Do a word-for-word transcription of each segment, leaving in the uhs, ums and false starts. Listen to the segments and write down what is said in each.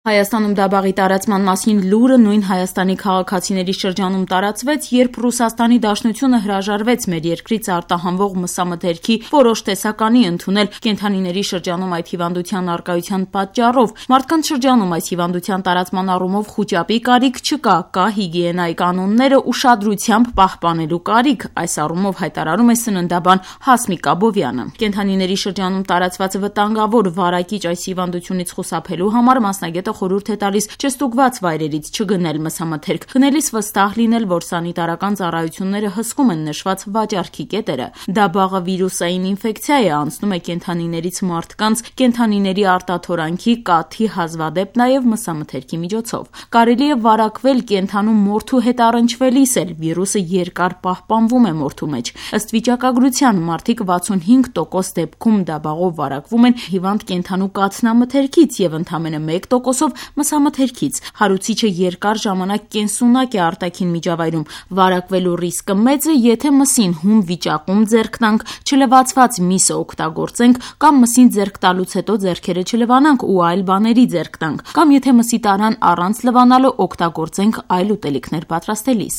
Հայաստանում դաբաղի տարածման մասին լուրը նույն Հայաստանի քաղաքացիների շրջանում տարածվեց, երբ Ռուսաստանի Դաշնությունը հրաժարվեց մեր երկրից արտահանվող մսամթերքի որոշ տեսականի ընդունել կենդանիների շրջանում այդ հիվանդության առկայության պատճառով։ Մարդկանց շրջանում այս հիվանդության տարածման առումով խուճապի կարիք չկա, կա հիգիենայի կանոնները ուշադրությամբ պահպանելու կարիք, այս առումով հայտարարում է սննդաբան Հասմիկ Աբովյանը։ Կենդանիների շրջանում տարածված վտանգավոր վարակիչ այս հիվանդությունից խուսափելու համար մասնագետը խորհուրդ է տալիս չստուգված վայրերից չգնել մսամթերք, գնելիս վստահ լինել, որ սանիտարական ծառայությունները հսկում են նշված վաճառքի կետերը։ Դաբաղը վիրուսային ինֆեկցիա է, անցնում է կենդանիներից մարդկանց, կենդանիների արտաթորանքի, կաթի, հազվադեպ նաև մսամթերքի միջոցով։ Կարելի է վարակվել կենդանու մորթու հետ առնչվելիս էլ, վիրուսը երկար պահպանվում է մորթու մեջ։ Ըստ վիճակագրության մարդիկ վաթսունհինգ տոկոս դեպքում դաբաղով վարակվում են հիվանդ կենդանու կաթնամթերքից և ընդամենը մեկ տոկոս մսամթերքից։ Հարուցիչը երկար ժամանակ կենսունակ է արտաքին միջավայրում։ Վարակվելու ռիսկը մեծ է, եթե մսին հում վիճակում ձեռք տանք, չլվացված միսը օգտագործենք կամ մսին ձեռք տալուց հետո ձեռքերը չլվանանք ու այլ բաների ձեռք տանք, կամ եթե մսի տարան առանց լվանալու օգտագործենք այլ ուտելիքներ պատրաստելիս։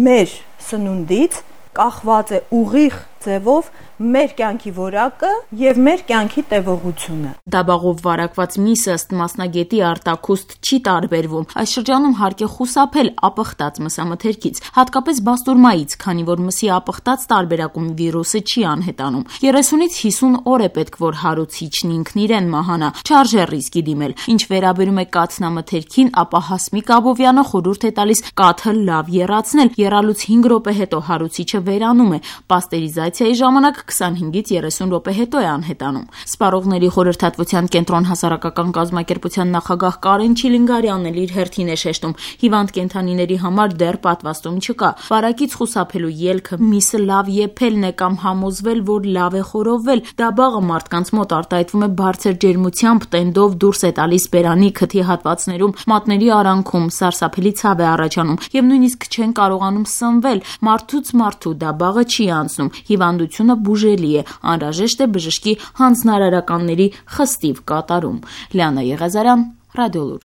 Մեր սնունդից կախված է ուղիղ ձևով մեր կյանքի որակը և մեր կյանքի տևողությունը։ Դաբաղով վարակված միսը ըստ մասնագետի արտաքուստ չի տարբերվում։ Այս շրջանում հարկ է խուսափել ապխտած մսամթերքից, հատկապես բաստուրմայից, քանի որ մսի ապխտած տարբերակում վիրուսը չի անհետանում։ երեսունից հիսուն օր է պետք, որ հարուցիչն ինքն իրեն մահանա, չարժե ռիսկի դիմել։ Ինչ վերաբերում է կաթնամթերքին, ապա Հասմիկ Աբովյանը խորհուրդ է տալիս կաթը լավ եռացնել, եռալուց հինգ րոպե հետո հարուցիչը վերանում է։ Պաստերիզացիայի ժամանակ քսանհինգից երեսուն րոպե հետո է անհետանում։ Սպառողների խորհրդատվության կենտրոն հասարակական կազմակերպության նախագահ Կարեն Չիլինգարյանն էլ իր հերթին է շեշտում, հիվանդ կենդանիների համար դեռ պատվաստում չկա։ Վարակից խուսափելու ելքը միսը լավ եփելն է կամ համոզվել, որ լավ է խորովել։ Դաբաղը մարդկանց մոտ արտահայտվում է բարձր ջերմությամբ, տենդով դուրս է տալիս բերանի, քթի հատվածներում, մատների արանքում, սարսափելի ցավ է առաջանում և նույնիսկ չեն կարողանում սնվել։ Մարդուց մարդու դաբաղը չի անցնում, հիվանդությունը բուժելի է, անհրաժեշտ է բժշկի հանձնարարականների խստիվ կատարում։ Լիանա Եղազարյան, Ռադիոլուր։